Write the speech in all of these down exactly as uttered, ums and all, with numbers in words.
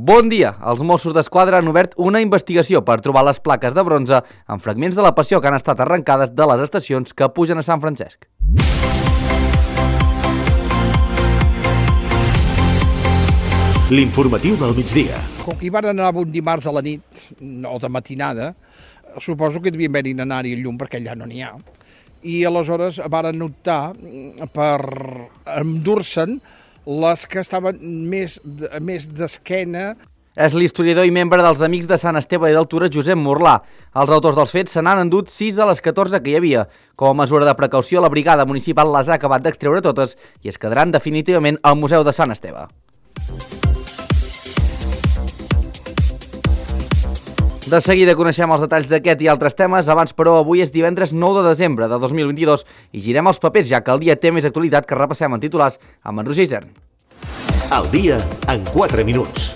Bon dia! Els Mossos d'Esquadra han obert una investigació per trobar les plaques de bronze amb fragments de la passió que han estat arrencades de les estacions que pugen a Sant Francesc. L'informatiu del migdia. Com que hi van anar un dimarts a la nit, o de matinada, suposo que devien haver-hi anar-hi el llum perquè allà no n'hi ha. I aleshores varen optar per endur-se'n les que estaven més, més d'esquena. És l'historiador i membre dels Amics de Sant Esteve i d'Altura, Josep Morlà. Els autors dels fets se n'han endut sis de les catorze que hi havia. Com a mesura de precaució, la brigada municipal les ha acabat d'extreure totes i es quedaran definitivament al Museu de Sant Esteve. De seguida coneixem els detalls d'aquest i altres temes. Abans, però, avui és divendres nou de desembre de dos mil vint-i-dos i girem els papers, ja que el dia té més actualitat que repassem en titulars amb en Roger Isern. El dia en quatre minuts.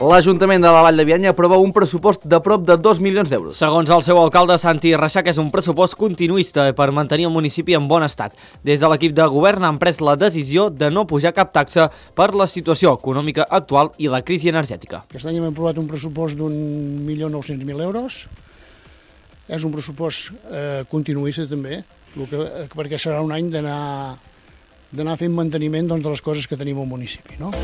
L'Ajuntament de la Vall de Bianya aprova un pressupost de prop de dos milions d'euros. Segons el seu alcalde, Santi Reixac, és un pressupost continuista per mantenir el municipi en bon estat. Des de l'equip de govern han pres la decisió de no pujar cap taxa per la situació econòmica actual i la crisi energètica. Aquest any hem aprovat un pressupost d'un milió nou-cents mil euros. És un pressupost eh, continuista també, que, perquè serà un any d'anar d'anar fent manteniment doncs, de les coses que tenim al municipi, no?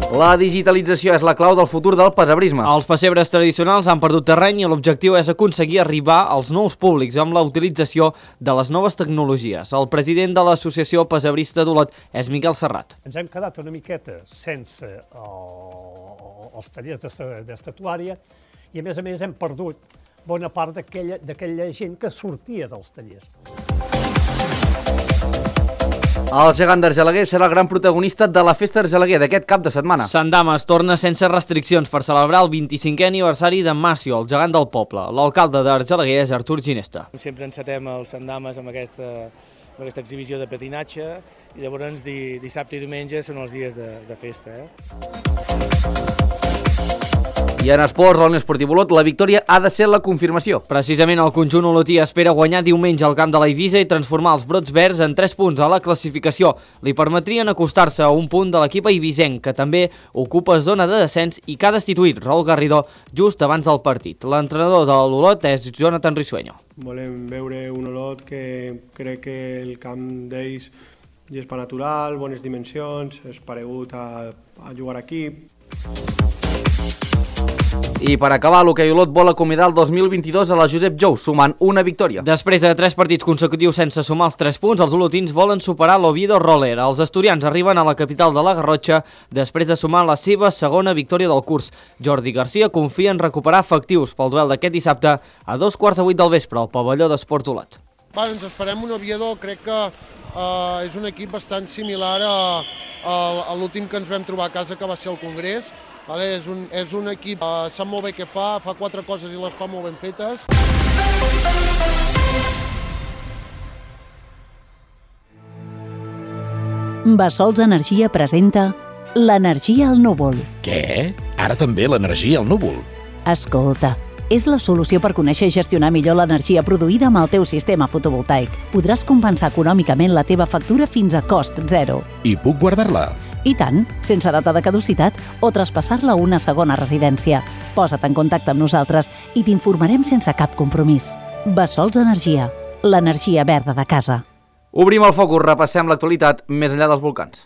La digitalització és la clau del futur del pessebrisme. Els pessebres tradicionals han perdut terreny i l'objectiu és aconseguir arribar als nous públics amb la utilització de les noves tecnologies. El president de l'Associació Pessebrista d'Olot és Miquel Serrat. Ens hem quedat una miqueta sense el, els tallers d'estatuària i, a més a més, hem perdut bona part d'aquella gent que sortia dels tallers. El gegant d'Argelaguer serà el gran protagonista de la Festa d'Argelaguer d'aquest cap de setmana. Sant Dames torna sense restriccions per celebrar el vint-i-cinquè aniversari de Massio, el gegant del poble. L'alcalde d'Argelaguer és Artur Ginesta. Sempre encetem el Sant Dames amb aquesta, amb aquesta exhibició de patinatge i llavors dissabte i diumenge són els dies de, de festa. Eh? I en esports, a l'Unió Esportiva Olot, la victòria ha de ser la confirmació. Precisament el conjunt olotí espera guanyar diumenge al camp de la Eivissa i transformar els brots verds en tres punts a la classificació. Li permetrien acostar-se a un punt de l'equip eivissenc, que també ocupa zona de descens i que ha destituït Raúl Garrido just abans del partit. L'entrenador de l'Olot és Jonathan Risueño. Volem veure un Olot que crec que el camp d'ells és per natural, bones dimensions, és paregut a, a jugar aquí. I per acabar, l'hoquei Olot vol acomiadar el dos mil vint-i-dos a la Josep Jou, sumant una victòria. Després de tres partits consecutius sense sumar els tres punts, els olotins volen superar l'Oviedo Roller. Els asturians arriben a la capital de la Garrotxa després de sumar la seva segona victòria del curs. Jordi Garcia confia en recuperar efectius pel duel d'aquest dissabte a dos quarts de vuit del vespre al pavelló d'Esports Olot. Va, ens esperem un Oviedo, crec que uh, és un equip bastant similar a, a, a l'últim que ens vam trobar a casa, que va ser el Congrés. Vale, és, un, és un equip que uh, sap molt bé què fa, fa quatre coses i les fa molt ben fetes. Bassols Energia presenta l'energia al núvol. Què? Ara també l'energia al núvol? Escolta, és la solució per conèixer i gestionar millor l'energia produïda amb el teu sistema fotovoltaic. Podràs compensar econòmicament la teva factura fins a cost zero. I puc guardar-la? I tant, sense data de caducitat o traspassar-la a una segona residència. Posa't en contacte amb nosaltres i t'informarem sense cap compromís. Bassols Energia, l'energia verda de casa. Obrim el focus, repassem l'actualitat més enllà dels volcans.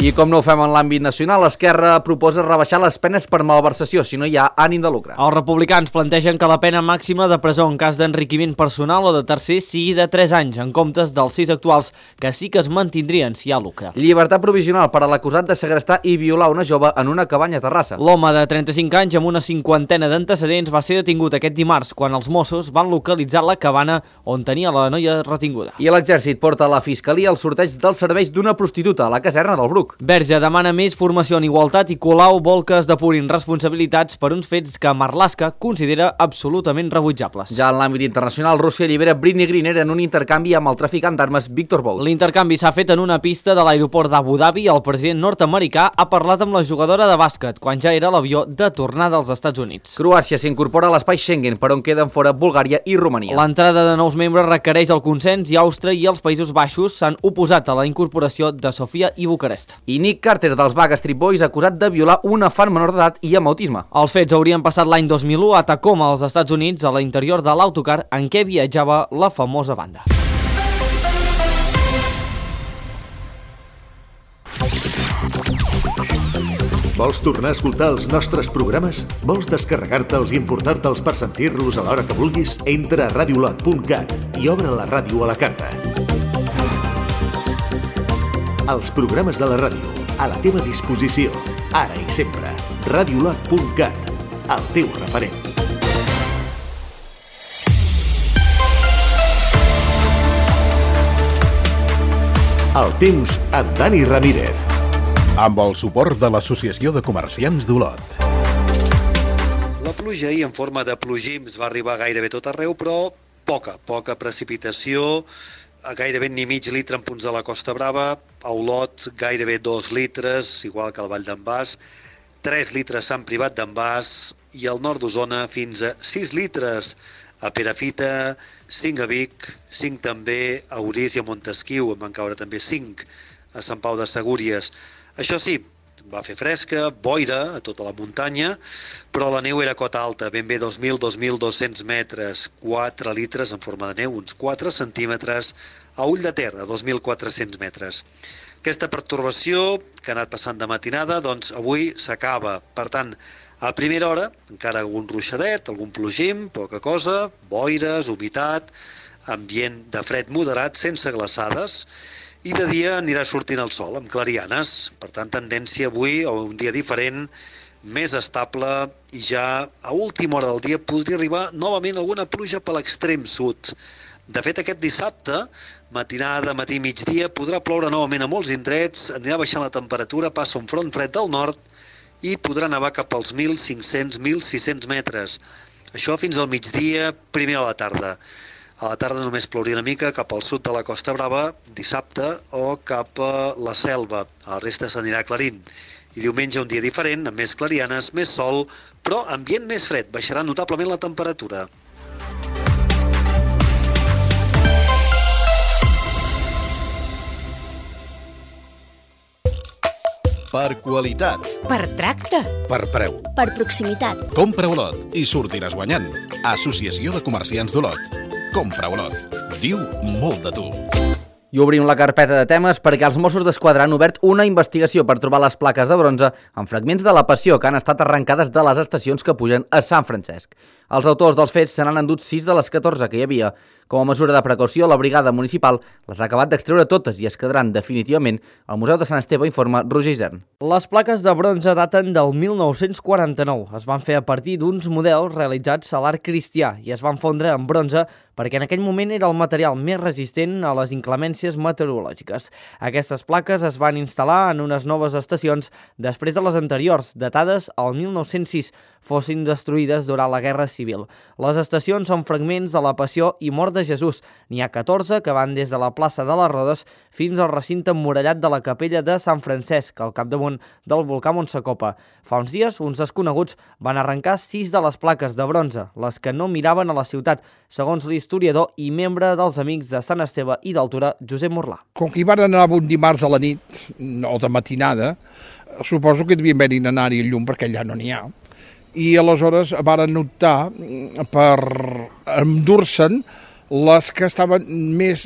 I com no ho fem en l'àmbit nacional, l'Esquerra proposa rebaixar les penes per malversació si no hi ha ànim de lucre. Els republicans plantegen que la pena màxima de presó en cas d'enriquiment personal o de tercer sigui de tres anys, en comptes dels sis actuals, que sí que es mantindrien si hi ha lucre. Llibertat provisional per a l'acusat de segrestar i violar una jove en una cabanya a Terrassa. L'home de trenta-cinc anys amb una cinquantena d'antecedents va ser detingut aquest dimarts quan els Mossos van localitzar la cabana on tenia la noia retinguda. I l'exèrcit porta a la Fiscalia el sorteig dels serveis d'una prostituta a la caserna del Bruc. Facebook. Verge demana més formació en igualtat i Colau vol que es depurin responsabilitats per uns fets que Marlaska considera absolutament rebutjables. Ja en l'àmbit internacional, Rússia allibera Britney Griner en un intercanvi amb el traficant d'armes Victor Bout. L'intercanvi s'ha fet en una pista de l'aeroport d'Abu Dhabi i el president nord-americà ha parlat amb la jugadora de bàsquet quan ja era a l'avió de tornada als Estats Units. Croàcia s'incorpora a l'espai Schengen, per on queden fora Bulgària i Romania. L'entrada de nous membres requereix el consens i Àustria i els Països Baixos s'han oposat a la incorporació de Sofia i Bucarest. I Nick Carter dels Backstreet Boys acusat de violar una fan menor d'edat i amb autisme. Els fets haurien passat l'any dos mil u a Tacoma, als Estats Units, a l'interior de l'autocar en què viatjava la famosa banda. Vols tornar a escoltar els nostres programes? Vols descarregar-te'ls i importar-te'ls per sentir-los a l'hora que vulguis? Entra a radiolot punt cat i obre la ràdio a la carta. Els programes de la ràdio, a la teva disposició, ara i sempre. radiolot punt cat, el teu referent. El temps amb Dani Ramírez. Amb el suport de l'Associació de Comerciants d'Olot. La pluja ahir en forma de plogims va arribar gairebé tot arreu, però poca, poca precipitació, gairebé ni mig litre en punts de la Costa Brava, a Olot gairebé dos litres, igual que al Vall d'en Bas, tres litres Sant Privat d'en Bas i al nord d'Osona fins a sis litres a Perafita, cinc a Vic, cinc també a Orís i a Montesquiu, en van caure també cinc a Sant Pau de Segúries. Això sí, va fer fresca, boira a tota la muntanya, però la neu era cota alta, ben bé dos mil a dos mil dos-cents metres, quatre litres en forma de neu, uns quatre centímetres a Ull de Ter, a dos mil quatre-cents metres. Aquesta pertorbació que ha anat passant de matinada, doncs avui s'acaba. Per tant, a primera hora, encara algun ruixadet, algun plogim, poca cosa, boires, humitat, ambient de fred moderat, sense glaçades, i de dia anirà sortint el sol, amb clarianes. Per tant, tendència avui a un dia diferent, més estable, i ja a última hora del dia podria arribar novament alguna pluja per l'extrem sud. De fet, aquest dissabte, matinada, matí, migdia, podrà ploure novament a molts indrets, anirà baixant la temperatura, passa un front fred del nord i podrà nevar cap als mil cinc-cents a mil sis-cents metres. Això fins al migdia, primera a la tarda. A la tarda només plouria una mica cap al sud de la Costa Brava, dissabte, o cap a la Selva. A la resta s'anirà aclarint. I diumenge un dia diferent, amb més clarianes, més sol, però ambient més fred. Baixarà notablement la temperatura. Per qualitat. Per tracte. Per preu. Per proximitat. Compra Olot i sortiràs guanyant. Associació de Comerciants d'Olot. Compra Olot. Diu molt de tu. I obrim la carpeta de temes perquè els Mossos d'Esquadra han obert una investigació per trobar les plaques de bronze amb fragments de la Passió que han estat arrencades de les estacions que pugen a Sant Francesc. Els autors dels fets se n'han endut sis de les catorze que hi havia. Com a mesura de precaució, la brigada municipal les ha acabat d'extreure totes i es quedaran definitivament al Museu de Sant Esteve, informa Roger Isern. Les plaques de bronze daten del mil nou-cents quaranta-nou. Es van fer a partir d'uns models realitzats a l'art cristià i es van fondre en bronze perquè en aquell moment era el material més resistent a les inclemències meteorològiques. Aquestes plaques es van instal·lar en unes noves estacions després de les anteriors, datades al mil nou-cents sis, fossin destruïdes durant la Guerra Civil. Les estacions són fragments de la Passió i Mort de Jesús. N'hi ha catorze que van des de la plaça de les Rodes fins al recinte emmurallat de la capella de Sant Francesc, al capdamunt del volcà Montsacopa. Fa uns dies, uns desconeguts van arrencar sis de les plaques de bronze, les que no miraven a la ciutat, segons l'historiador i membre dels Amics de Sant Esteve i d'Altura, Josep Morlà. Com que hi van anar un dimarts a la nit, o de matinada, suposo que devien haver-hi anar-hi el llum perquè allà no n'hi ha. I aleshores van optar per endur-se'n les que estaven més,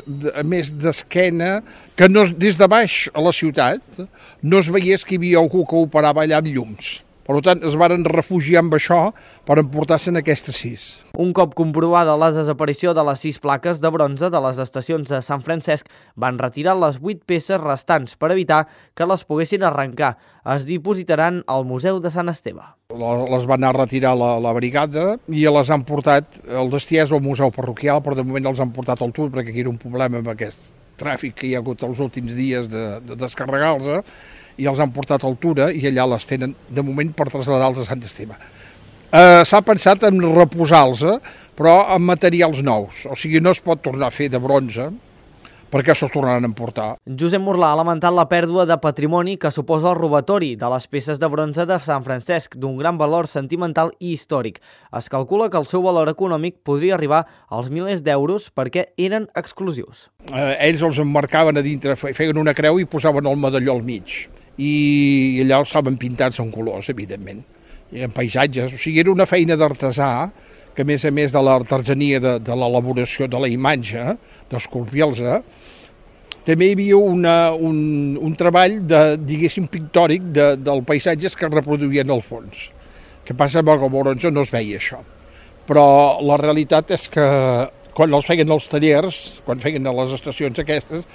més d'esquena, que no, des de baix a la ciutat no es veiés que hi havia algú que operava allà amb llums. Per tant, es varen refugiar amb això per emportar-se'n aquestes sis. Un cop comprovada la desaparició de les sis plaques de bronze de les estacions de Sant Francesc, van retirar les vuit peces restants per evitar que les poguessin arrencar. Es dipositaran al Museu de Sant Esteve. Les van anar a retirar la, la brigada i les han portat, el destí és al Museu Parroquial, però de moment els han portat al Tur perquè aquí era un problema amb aquest tràfic que hi ha hagut els últims dies de, de descarregar-los, i els han portat a altura i allà les tenen de moment per traslladar-los a Sant Esteve. Eh, S'ha pensat en reposar-los, però amb materials nous, o sigui, no es pot tornar a fer de bronze, perquè se'ls tornaran a emportar. Josep Morlà ha lamentat la pèrdua de patrimoni que suposa el robatori de les peces de bronze de Sant Francesc, d'un gran valor sentimental i històric. Es calcula que el seu valor econòmic podria arribar als milers d'euros perquè eren exclusius. Eh, ells els emmarcaven a dintre, feien una creu i posaven el medalló al mig. I allà els estaven pintats en colors, evidentment, i en paisatges. O sigui, era una feina d'artesà que, a més a més de l'artesania de, de l'elaboració de la imatge, d'esculpir-los, també hi havia una, un, un treball, de, diguéssim, pictòric de, del paisatges que es reproduïen al fons. Que passa amb el bronze no es veia això. Però la realitat és que quan els feien els tallers, quan feien a les estacions aquestes,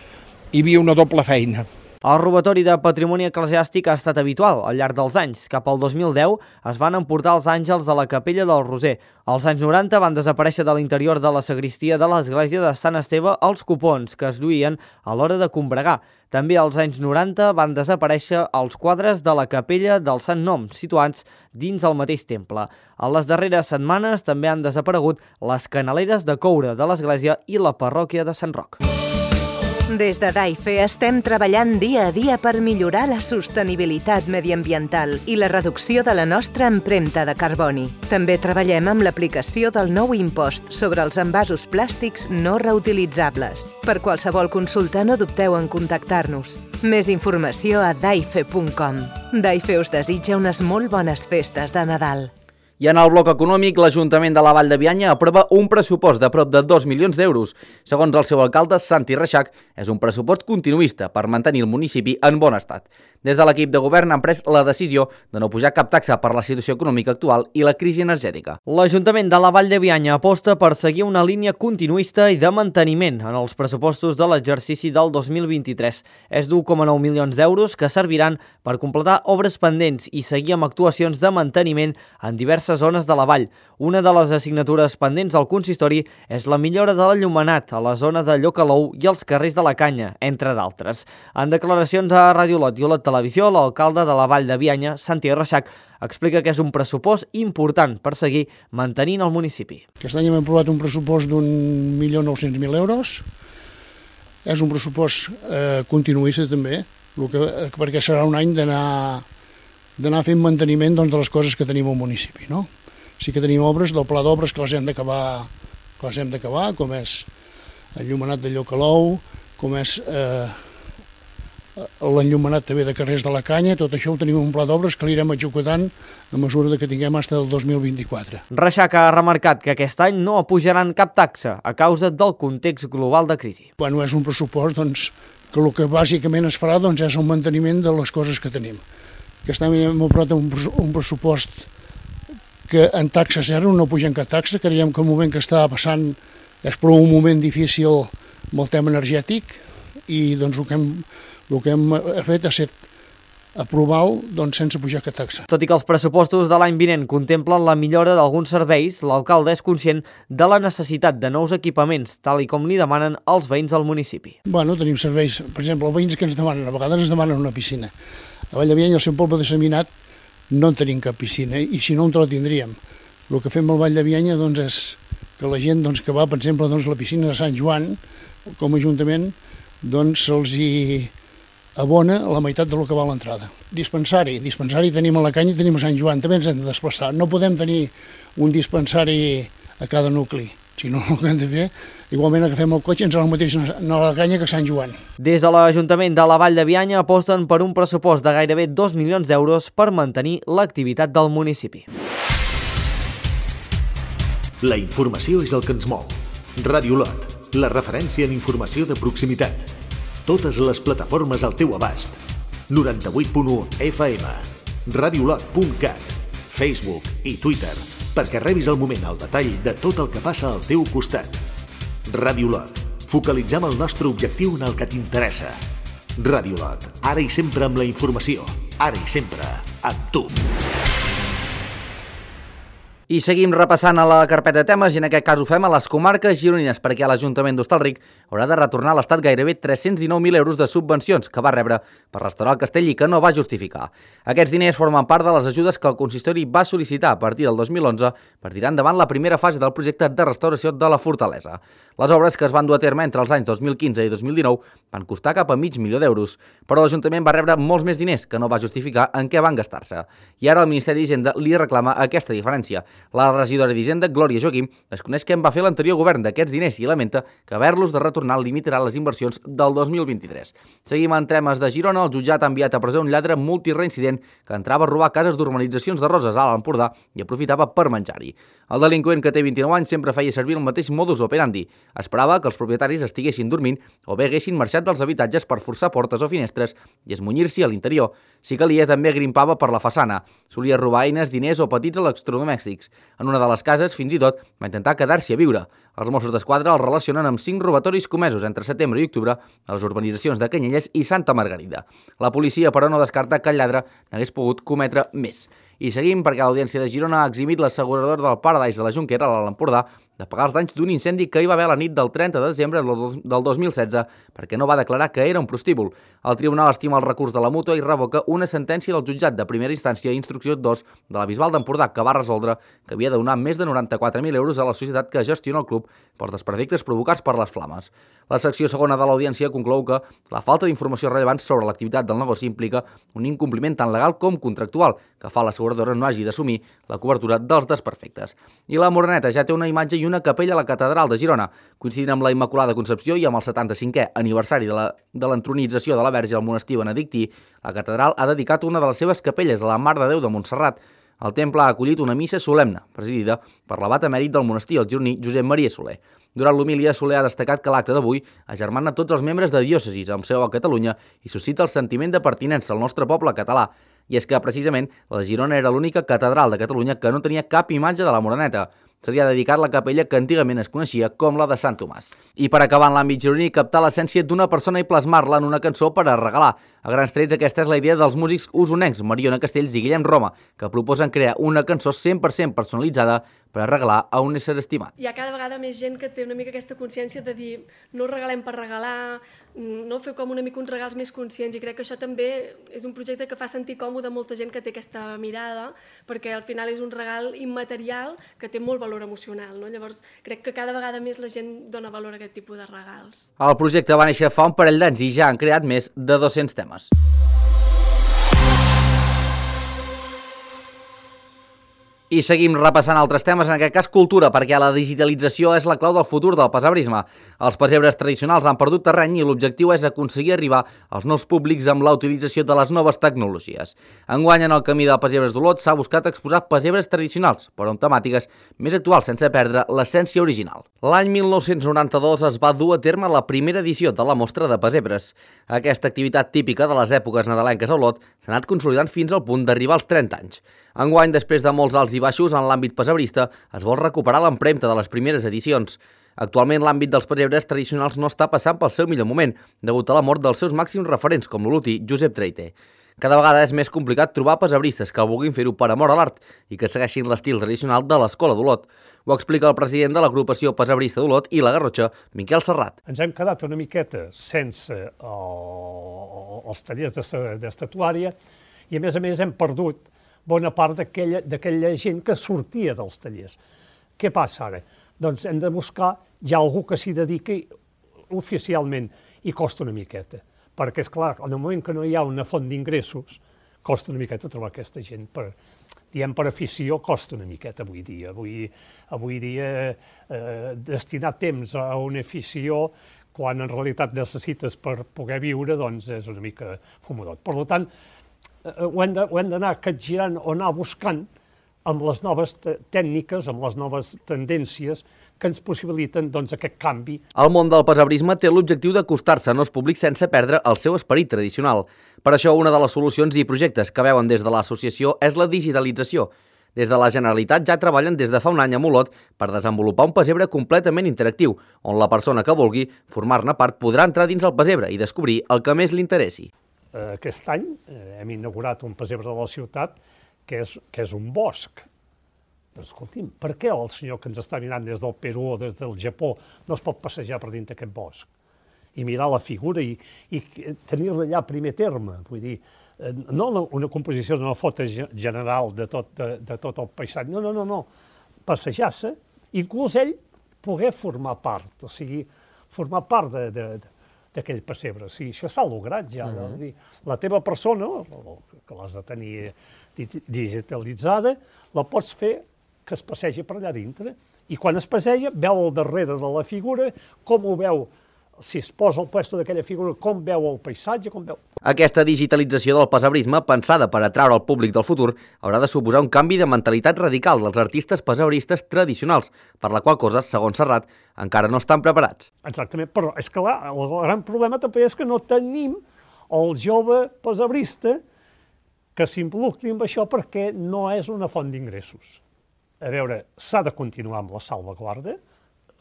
hi havia una doble feina. El robatori de patrimoni eclesiàstic ha estat habitual al llarg dels anys. Cap al dos mil deu es van emportar els àngels de la capella del Roser. Als anys noranta van desaparèixer de l'interior de la sagristia de l'església de Sant Esteve els copons que es duien a l'hora de combregar. També als anys noranta van desaparèixer els quadres de la capella del Sant Nom, situats dins el mateix temple. A les darreres setmanes també han desaparegut les canaleres de coure de l'església i la parròquia de Sant Roc. Des de DAIFE estem treballant dia a dia per millorar la sostenibilitat mediambiental i la reducció de la nostra empremta de carboni. També treballem amb l'aplicació del nou impost sobre els envasos plàstics no reutilitzables. Per qualsevol consulta no dubteu en contactar-nos. Més informació a daife punt com. DAIFE us desitja unes molt bones festes de Nadal. I en el bloc econòmic, l'Ajuntament de la Vall de Bianya aprova un pressupost de prop de dos milions d'euros. Segons el seu alcalde, Santi Reixac, és un pressupost continuista per mantenir el municipi en bon estat. Des de l'equip de govern han pres la decisió de no pujar cap taxa per la situació econòmica actual i la crisi energètica. L'Ajuntament de la Vall de Bianya aposta per seguir una línia continuista i de manteniment en els pressupostos de l'exercici del dos mil vint-i-tres. És d'u coma nou milions d'euros que serviran per completar obres pendents i seguir amb actuacions de manteniment en diverses zones de la vall. Una de les assignatures pendents al consistori és la millora de l'enllumenat a la zona de Llocalou i els carrers de la Canya, entre d'altres. En declaracions a Ràdio Olot i Olot Televisió, l'alcalde de la Vall de Bianya, Santi Reixac, explica que és un pressupost important per seguir mantenint el municipi. Aquest any hem aprovat un pressupost d'un milió nou-cents mil euros. És un pressupost eh, continuista també, el que, perquè serà un any d'anar d'anar fent manteniment doncs, de les coses que tenim al municipi. No? Sí que tenim obres del pla d'obres que les hem d'acabar, que les hem d'acabar, com és el llumenat de Llocalou, com és eh, l'enllumenat també de carrers de la Canya. Tot això ho tenim un pla d'obres que l'irem executant a mesura que tinguem fins al dos mil vint-i-quatre. Reixac ha remarcat que aquest any no apujaran cap taxa a causa del context global de crisi. Bueno, és un pressupost doncs, que el que bàsicament es farà doncs, és el manteniment de les coses que tenim. Aquest any hem aprovat un, un pressupost que en taxa zero, no pugem cap taxa. Creiem que el moment que està passant és prou un moment difícil amb el tema energètic i doncs, el, que hem, el que hem fet ha estat aprovar-ho doncs, sense pujar cap taxa. Tot i que els pressupostos de l'any vinent contemplen la millora d'alguns serveis, l'alcalde és conscient de la necessitat de nous equipaments, tal i com li demanen els veïns del municipi. Bueno, tenim serveis, per exemple, els veïns que ens demanen, a vegades ens demanen una piscina. A Vall de Bianya, al seu poble de Seminat, no en tenim cap piscina, i si no, on te la tindríem. El que fem al Vall de Bianya doncs, és que la gent doncs, que va, per exemple, doncs, la piscina de Sant Joan, com a Ajuntament, doncs, se'ls hi abona la meitat del que val l'entrada. Dispensari. Dispensari tenim a la Canya i tenim a Sant Joan. També ens hem de desplaçar. No podem tenir un dispensari a cada nucli. Si no, el que hem de fer, igualment agafem el cotxe i ens anem al mateix a la Canya que a Sant Joan. Des de l'Ajuntament de la Vall de Bianya aposten per un pressupost de gairebé dos milions d'euros per mantenir l'activitat del municipi. La informació és el que ens mou. Ràdio Olot, la referència en informació de proximitat. Totes les plataformes al teu abast. noranta-vuit punt u F M, radiolot punt cat, Facebook i Twitter, perquè rebis al moment el detall de tot el que passa al teu costat. Ràdio Olot, focalitzem el nostre objectiu en el que t'interessa. Ràdio Olot, ara i sempre amb la informació, ara i sempre amb tu. I seguim repassant a la carpeta de temes i en aquest cas ho fem a les comarques gironines perquè l'Ajuntament d'Hostalric haurà de retornar a l'Estat gairebé tres-cents dinou mil euros de subvencions que va rebre per restaurar el castell i que no va justificar. Aquests diners formen part de les ajudes que el consistori va sol·licitar a partir del dos mil onze per tirar endavant la primera fase del projecte de restauració de la fortalesa. Les obres que es van dur a terme entre els anys dos mil quinze i dos mil dinou van costar cap a mig milió d'euros, però l'Ajuntament va rebre molts més diners que no va justificar en què van gastar-se. I ara el Ministeri d'Hisenda li reclama aquesta diferència. La regidora d'Hisenda, Glòria Joaquim, desconeix què en va fer l'anterior govern d'aquests diners i lamenta que haver-los de retornar limitarà les inversions del dos mil vint-i-tres. Seguim en temes de Girona. El jutjat ha enviat a presó un lladre multireincident que entrava a robar cases d'urbanitzacions de Roses a l'Empordà i aprofitava per menjar-hi. El delinqüent, que té vint-i-nou anys, sempre feia servir el mateix modus operandi. Esperava que els propietaris estiguessin dormint o bé haguessin marxat dels habitatges per forçar portes o finestres i esmunyir-s'hi a l'interior. Si calia, també grimpava per la façana. Solia robar eines, diners o petits electrodomèstics. En una de les cases, fins i tot, va intentar quedar-s'hi a viure. Els Mossos d'Esquadra el relacionen amb cinc robatoris comesos entre setembre i octubre a les urbanitzacions de Canyelles i Santa Margarida. La policia, però, no descarta que el lladre n'hagués pogut cometre més. I seguim perquè l'Audiència de Girona ha eximit l'assegurador del Paradise de la Jonquera, a l'Empordà, de pagar els danys d'un incendi que hi va haver la nit del trenta de desembre del dos mil setze perquè no va declarar que era un prostíbul. El tribunal estima el recurs de la mútua i revoca una sentència del jutjat de primera instància instrucció dos de la Bisbal d'Empordà que va resoldre que havia de donar més de noranta-quatre mil euros a la societat que gestiona el club pels desperfectes provocats per les flames. La secció segona de l'audiència conclou que la falta d'informació rellevant sobre l'activitat del negoci implica un incompliment tant legal com contractual que fa l'asseguradora no hagi d'assumir la cobertura dels desperfectes. I la Moreneta ja té una imatge i una capella a la catedral de Girona. Coincidint amb la Immaculada Concepció i amb el setanta-cinquè aniversari de la, de l'entronització de la Verge al monestir benedictí, la catedral ha dedicat una de les seves capelles a la Mare de Déu de Montserrat. El temple ha acollit una missa solemne, presidida per l'abat emèrit del monestir, el gironí Josep Maria Soler. Durant l'homilia, Soler ha destacat que l'acte d'avui agermana tots els membres de diòcesis amb seu a Catalunya i suscita el sentiment de pertinença al nostre poble català. I és que, precisament, la de Girona era l'única catedral de Catalunya que no tenia cap imatge de la Moreneta. Se li ha dedicat la capella que antigament es coneixia com la de Sant Tomàs. I per acabar en l'àmbit gironí, captar l'essència d'una persona i plasmar-la en una cançó per a regalar. A grans trets, aquesta és la idea dels músics usonencs Mariona Castells i Guillem Roma, que proposen crear una cançó cent per cent personalitzada per a regalar a un ésser estimat. Hi ha cada vegada més gent que té una mica aquesta consciència de dir no regalem per regalar, no fer com una mica uns regals més conscients, i crec que això també és un projecte que fa sentir còmode a molta gent que té aquesta mirada, perquè al final és un regal immaterial que té molt valor emocional, no? Llavors crec que cada vegada més la gent dona valor a aquest tipus de regals. El projecte va néixer fa un parell d'anys i ja han creat més de dos-cents temes. I seguim repassant altres temes, en aquest cas cultura, perquè la digitalització és la clau del futur del pesebrisme. Els pessebres tradicionals han perdut terreny i l'objectiu és aconseguir arribar als nous públics amb la utilització de les noves tecnologies. Enguany, en el camí del Pessebres d'Olot s'ha buscat exposar pessebres tradicionals, però amb temàtiques més actuals, sense perdre l'essència original. L'any mil nou-cents noranta-dos es va dur a terme la primera edició de la Mostra de Pessebres. Aquesta activitat típica de les èpoques nadalenques a Olot s'ha anat consolidant fins al punt d'arribar als trenta anys. Enguany, després de molts alts i baixos en l'àmbit pessebrista, es vol recuperar l'empremta de les primeres edicions. Actualment, l'àmbit dels pessebres tradicionals no està passant pel seu millor moment, degut a la mort dels seus màxims referents, com l'olotí Josep Treite. Cada vegada és més complicat trobar pessebristes que vulguin fer-ho per amor a l'art i que segueixin l'estil tradicional de l'Escola d'Olot. Ho explica el president de l'agrupació pessebrista d'Olot i la Garrotxa, Miquel Serrat. Ens hem quedat una miqueta sense el, els tallers d'estatuària i, a més a més, hem perdut bona part d'aquella gent que sortia dels tallers. Què passa ara? Doncs hem de buscar ja algú que s'hi dediqui oficialment i costa una miqueta. Perquè, és clar, en el moment que no hi ha una font d'ingressos, costa una miqueta trobar aquesta gent. Per, diem per afició, costa una miqueta avui dia. Avui, avui dia eh, destinar temps a una afició quan en realitat necessites per poder viure, doncs és una mica fumadot. Per tant, ho hem d'anar capgirant o anar buscant amb les noves tècniques, amb les noves tendències que ens possibiliten doncs, aquest canvi. El món del pessebrisme té l'objectiu d'acostar-se a nous públics sense perdre el seu esperit tradicional. Per això, una de les solucions i projectes que veuen des de l'associació és la digitalització. Des de la Generalitat ja treballen des de fa un any a Olot per desenvolupar un pessebre completament interactiu, on la persona que vulgui formar-ne part podrà entrar dins el pessebre i descobrir el que més li interessi. Aquest any hem inaugurat un pessebre de la ciutat que és, que és un bosc. Doncs escolti'm, per què el senyor que ens està mirant des del Perú o des del Japó no es pot passejar per dintre aquest bosc i mirar la figura i, i tenir-la allà a primer terme? Vull dir, no una composició d'una foto general de tot, de, de tot el paisatge, no, no, no, no. Passejar-se, inclús ell poder formar part, o sigui, formar part de, de, d'aquell pessebre. O sigui, això s'ha lograt ja. Uh-huh. Dir, la teva persona, que l'has de tenir digitalitzada, la pots fer que es passegi per allà dintre. I quan es passeja, veu al darrere de la figura, com ho veu, si es posa al puesto d'aquella figura, com veu el paisatge, com veu... Aquesta digitalització del pessebrisme, pensada per atraure el públic del futur, haurà de suposar un canvi de mentalitat radical dels artistes pessebristes tradicionals, per la qual cosa, segons Serrat, encara no estan preparats. Exactament, però és clar, el gran problema també és que no tenim el jove pessebrista que s'involucri amb això perquè no és una font d'ingressos. A veure, s'ha de continuar amb la salvaguarda,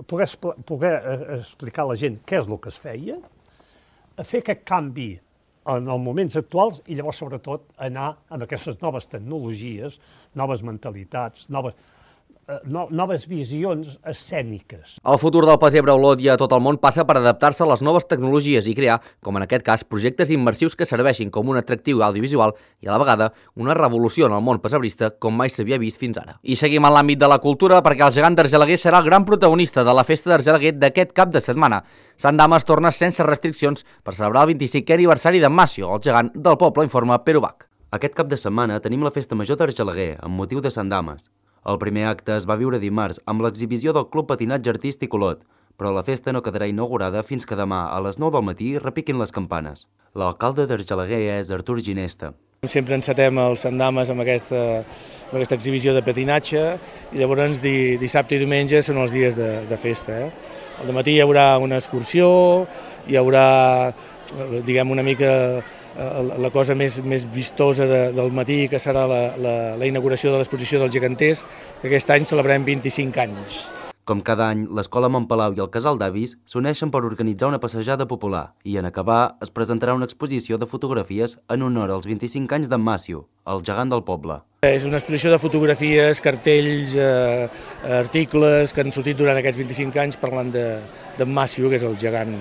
poder, poder explicar a la gent què és el que es feia, fer aquest canvi en els moments actuals i llavors, sobretot, anar amb aquestes noves tecnologies, noves mentalitats, noves, no, noves visions escèniques. El futur del pessebre a Olot i a tot el món passa per adaptar-se a les noves tecnologies i crear, com en aquest cas, projectes immersius que serveixin com un atractiu audiovisual i, a la vegada, una revolució en el món pessebrista com mai s'havia vist fins ara. I seguim en l'àmbit de la cultura perquè el gegant d'Argelaguer serà el gran protagonista de la festa d'Argelaguer d'aquest cap de setmana. Sant Dames torna sense restriccions per celebrar el vint-i-cinquè aniversari de Massio, el gegant del poble, informa Pere Ubach. Aquest cap de setmana tenim la festa major d'Argelaguer, amb motiu de Sant Dames. El primer acte es va viure dimarts amb l'exhibició del Club Patinatge Artístic Olot, però la festa no quedarà inaugurada fins que demà a les nou del matí repiquin les campanes. L'alcalde d'Argelaguer és Artur Ginesta. Sempre encetem el Sant Dames amb aquesta, amb aquesta exhibició de patinatge i llavors di, dissabte i diumenge són els dies de, de festa. Eh? Al matí hi haurà una excursió, hi haurà, diguem, una mica la cosa més, més vistosa de, del matí, que serà la, la, la inauguració de l'exposició dels geganters, que aquest any celebrem vint-i-cinc anys. Com cada any, l'Escola Montpalau i el Casal d'Avis s'uneixen per organitzar una passejada popular i, en acabar, es presentarà una exposició de fotografies en honor als vint-i-cinc anys d'en Massio, el gegant del poble. És una exposició de fotografies, cartells, eh, articles que han sortit durant aquests vint-i-cinc anys parlant d'en Massio, que és el gegant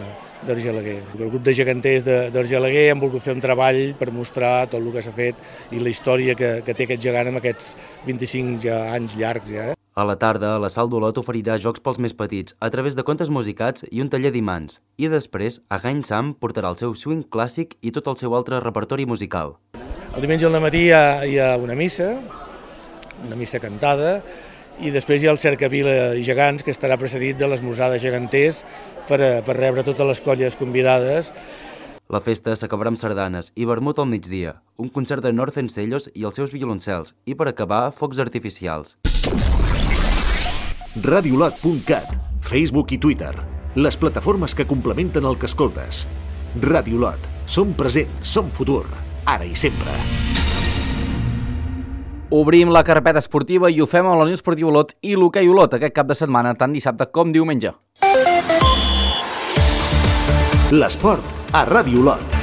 d'Argelaguer. El grup de geganters d'Argelaguer han volgut fer un treball per mostrar tot el que s'ha fet i la història que, que té aquest gegant amb aquests vint-i-cinc ja, anys llargs. Ja. A la tarda, la Sal d'Olot oferirà jocs pels més petits a través de contes musicats i un taller d'imants. I després, Again Sam portarà el seu swing clàssic i tot el seu altre repertori musical. El diumenge al matí hi ha, hi ha una missa, una missa cantada, i després hi ha el Cercavila i Gegants, que estarà precedit de l'esmorzar de geganters per, per rebre totes les colles convidades. La festa s'acabarà amb sardanes i vermut al migdia, un concert de Northern Sellos i els seus violoncels, i per acabar, focs artificials. radiolot punt cat, Facebook i Twitter, les plataformes que complementen el que escoltes. Radiolot, som present, som futur, ara i sempre. Obrim la carpeta esportiva i ho fem amb la Unió Esportiva Olot i l'Hoquei Olot aquest cap de setmana, tant dissabte com diumenge. L'esport a Ràdio Olot.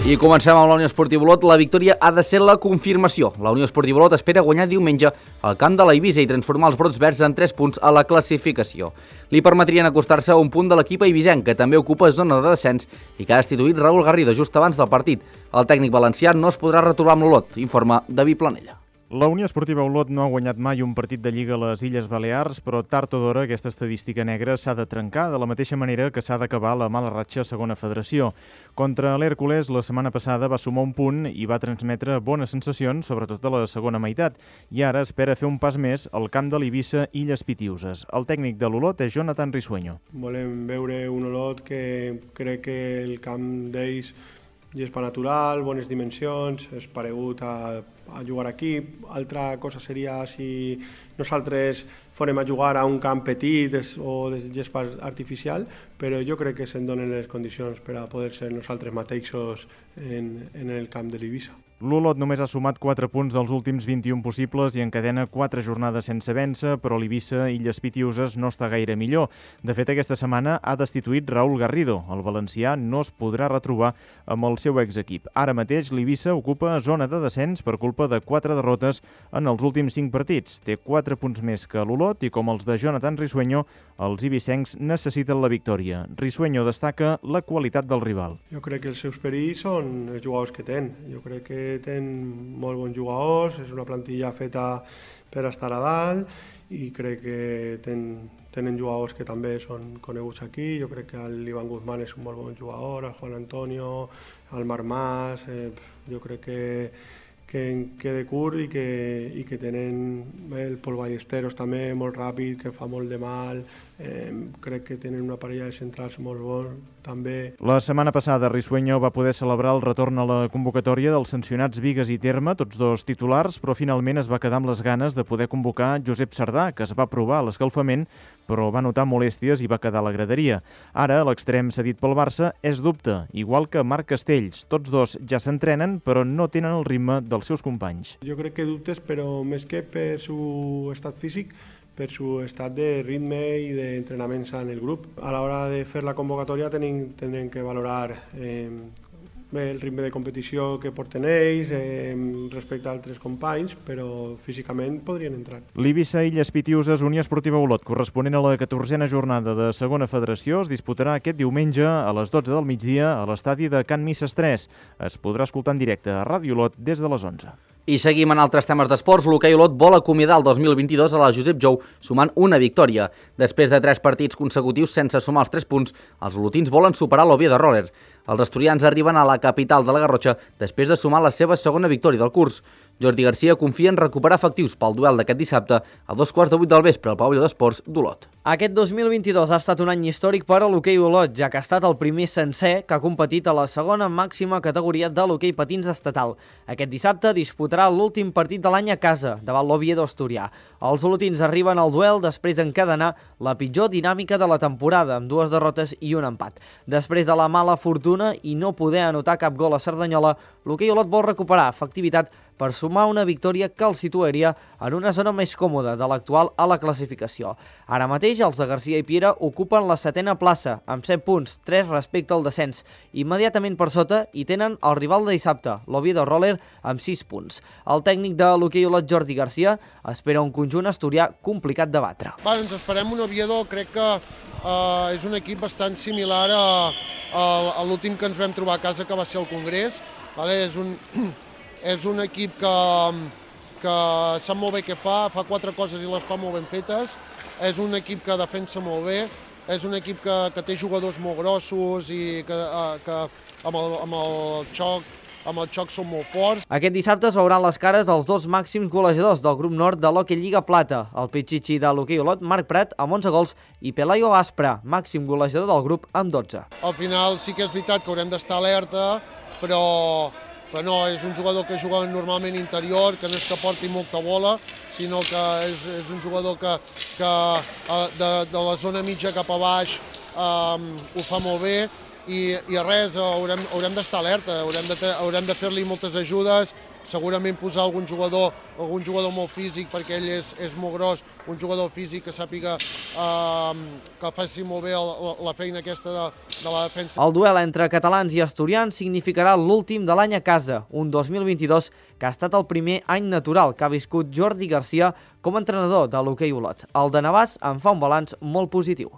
I comencem amb la Unió Esportiva Olot. La victòria ha de ser la confirmació. La Unió Esportiva Olot espera guanyar diumenge al camp de l'Eivissa i transformar els brots verds en tres punts a la classificació. Li permetrien acostar-se a un punt de l'equip eivissenc, que també ocupa zona de descens i que ha destituït Raúl Garrido just abans del partit. El tècnic valencià no es podrà retrobar amb l'Olot, informa David Planella. La Unió Esportiva Olot no ha guanyat mai un partit de Lliga a les Illes Balears, però tard o d'hora aquesta estadística negra s'ha de trencar, de la mateixa manera que s'ha d'acabar la mala ratxa a segona federació. Contra l'Hèrcules, la setmana passada va sumar un punt i va transmetre bones sensacions, sobretot a la segona meitat, i ara espera fer un pas més al camp de l'Eivissa Illes Pitiuses. El tècnic de l'Olot és Jonathan Risueño. Volem veure un Olot que crec que el camp d'ells gespa natural, bones dimensions, és paregut a, a jugar aquí. Altra cosa seria si nosaltres farem a jugar a un camp petit o de gespa artificial, però jo crec que se'n donen les condicions per a poder ser nosaltres mateixos en, en el camp de l'Eivissa. L'Olot només ha sumat quatre punts dels últims vint-i-un possibles i encadena quatre jornades sense vèncer, però l'Eivissa Illes Pitiuses no està gaire millor. De fet, aquesta setmana ha destituït Raúl Garrido. El valencià no es podrà retrobar amb el seu exequip. Ara mateix l'Eivissa ocupa zona de descens per culpa de quatre derrotes en els últims cinc partits. Té quatre punts més que l'Olot i, com els de Jonathan Risueño, els ibicencs necessiten la victòria. Risueño destaca la qualitat del rival. Jo crec que els seus perills són els jugadors que tenen. Jo crec que tenen molt bons jugadors, és una plantilla feta per estar a dalt i crec que ten, tenen jugadors que també són coneguts aquí. Jo crec que l'Ivan Guzmán és un molt bon jugador, el Juan Antonio, el Marc Mas, eh, jo crec que que en quede curt i que, i que tenen el Pol Ballesteros també molt ràpid, que fa molt de mal, eh, crec que tenen una parella de centrals molt bon també. La setmana passada Risueño va poder celebrar el retorn a la convocatòria dels sancionats Vigues i Terme, tots dos titulars, però finalment es va quedar amb les ganes de poder convocar Josep Sardà, que es va provar a l'escalfament, però va notar molèsties i va quedar a la graderia. Ara, l'extrem cedit pel Barça és dubte, igual que Marc Castells. Tots dos ja s'entrenen, però no tenen el ritme dels seus companys. Jo crec que dubtes, però més que per su estat físic, per su estat de ritme i d'entrenaments en el grup. A l'hora de fer la convocatòria tenim, tindrem que valorar eh, el ritme de competició que porten ells eh, respecte a altres companys, però físicament podrien entrar. L'Eivissa Illes Pitiuses Unió Esportiva Olot, corresponent a la catorzena jornada de segona federació, es disputarà aquest diumenge a les dotze del migdia a l'estadi de Can Misses tres. Es podrà escoltar en directe a Ràdio Olot des de les onze. I seguim en altres temes d'esports. L'hoquei Olot vol acomiadar el dos mil vint-i-dos a la Josep Jou sumant una victòria. Després de tres partits consecutius sense sumar els tres punts, els olotins volen superar l'Oviedo Roller. Els asturians arriben a la capital de la Garrotxa després de sumar la seva segona victòria del curs. Jordi Garcia confia en recuperar efectius pel duel d'aquest dissabte a dos quarts de vuit del vespre al pavelló d'esports d'Olot. Aquest dos mil vint-i-dos ha estat un any històric per a l'hoquei Olot, ja que ha estat el primer sencer que ha competit a la segona màxima categoria de l'hoquei patins estatal. Aquest dissabte disputarà l'últim partit de l'any a casa, davant l'Oviedo asturià. Els olotins arriben al duel després d'encadenar la pitjor dinàmica de la temporada, amb dues derrotes i un empat. Després de la mala fortuna i no poder anotar cap gol a Cerdanyola, l'hoquei Olot vol recuperar efectivitat per sumar una victòria que el situaria en una zona més còmoda de l'actual a la classificació. Ara mateix, els de Garcia i Piera ocupen la setena plaça, amb set punts, tres respecte al descens. Immediatament per sota hi tenen el rival de dissabte, l'Oviedo Roller, amb sis punts. El tècnic de l'hoquei Olot, Jordi Garcia, espera un conjunt asturià complicat de batre. Va, ens esperem un Oviedo, crec que uh, és un equip bastant similar a, a, a l'últim que ens vam trobar a casa, que va ser el Congrés. Vale? És un... És un equip que, que sap molt bé què fa, fa quatre coses i les fa molt ben fetes. És un equip que defensa molt bé, és un equip que, que té jugadors molt grossos i que, que amb, el, amb, el xoc, amb el xoc són molt forts. Aquest dissabte es veuran les cares dels dos màxims golejadors del grup nord de l'Hockey Lliga Plata, el pitxitxi de l'hoquei Olot, Marc Prat, amb onze gols, i Pelayo Aspra, màxim golejador del grup, amb dotze. Al final sí que és veritat que haurem d'estar alerta, però... però no, és un jugador que juga normalment interior, que no és que porti molta bola, sinó que és, és un jugador que, que de, de la zona mitja cap a baix um, ho fa molt bé i, i res, haurem, haurem d'estar alerta, haurem de, haurem de fer-li moltes ajudes, segurament posar algun jugador, algun jugador molt físic perquè ell és, és molt gros, un jugador físic que sàpiga eh, que faci molt bé la, la feina aquesta de, de la defensa. El duel entre catalans i asturians significarà l'últim de l'any a casa, un dos mil vint-i-dos que ha estat el primer any natural que ha viscut Jordi Garcia com a entrenador de l'hoquei Olot. El de Navàs en fa un balanç molt positiu.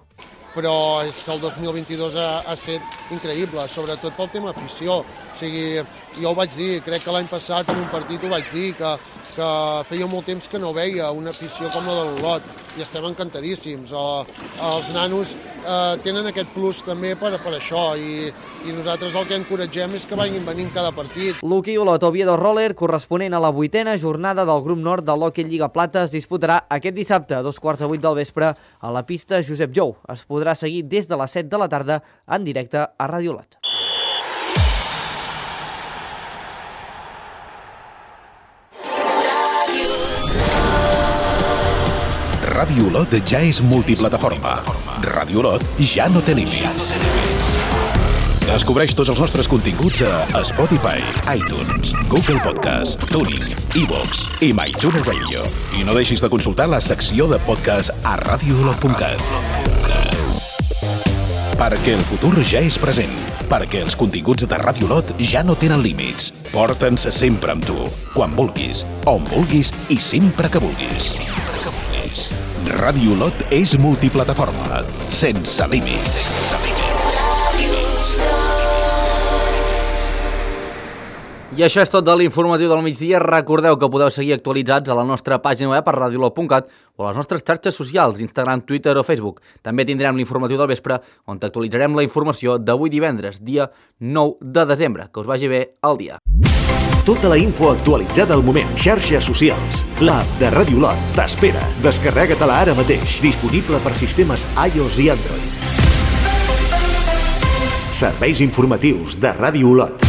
Però és que el dos mil vint-i-dos ha, ha estat increïble, sobretot pel tema afició. O sigui, jo ho vaig dir, crec que l'any passat en un partit ho vaig dir, que, que feia molt temps que no veia una afició com la de l'Olot, i estem encantadíssims. O, els nanos eh, tenen aquest plus també per, per això, i, i nosaltres el que encoratgem és que vagin venint cada partit. L'hoquei Olot Oviedo Roller, corresponent a la vuitena jornada del grup nord de l'Hockey Lliga Plata, es disputarà aquest dissabte a dos quarts de vuit del vespre a la pista Josep Jou. Es podrà seguir des de les set de la tarda en directe a Ràdio Olot. Ràdio Olot ja és multiplataforma. Ràdio Olot ja no té límits. Descobreix tots els nostres continguts a Spotify, iTunes, Google Podcast, Tuning, iVoox i MyTuner Radio. I no deixis de consultar la secció de podcast a radio olot punt cat. Perquè el futur ja és present. Perquè els continguts de Ràdio Olot ja no tenen límits. Porta'ns sempre amb tu, quan vulguis, on vulguis i sempre que vulguis. Ràdio Olot és multiplataforma, sense límits. I això és tot de l'informatiu del migdia. Recordeu que podeu seguir actualitzats a la nostra pàgina web a radio olot punt cat o a les nostres xarxes socials, Instagram, Twitter o Facebook. També tindrem l'informatiu del vespre, on t'actualitzarem la informació d'avui divendres, dia nou de desembre. Que us vagi bé el dia. Tota la info actualitzada al moment. Xarxes socials. L'app de Ràdio Olot t'espera. Descarrega-te-la ara mateix. Disponible per sistemes iOS i Android. Serveis informatius de Ràdio Olot.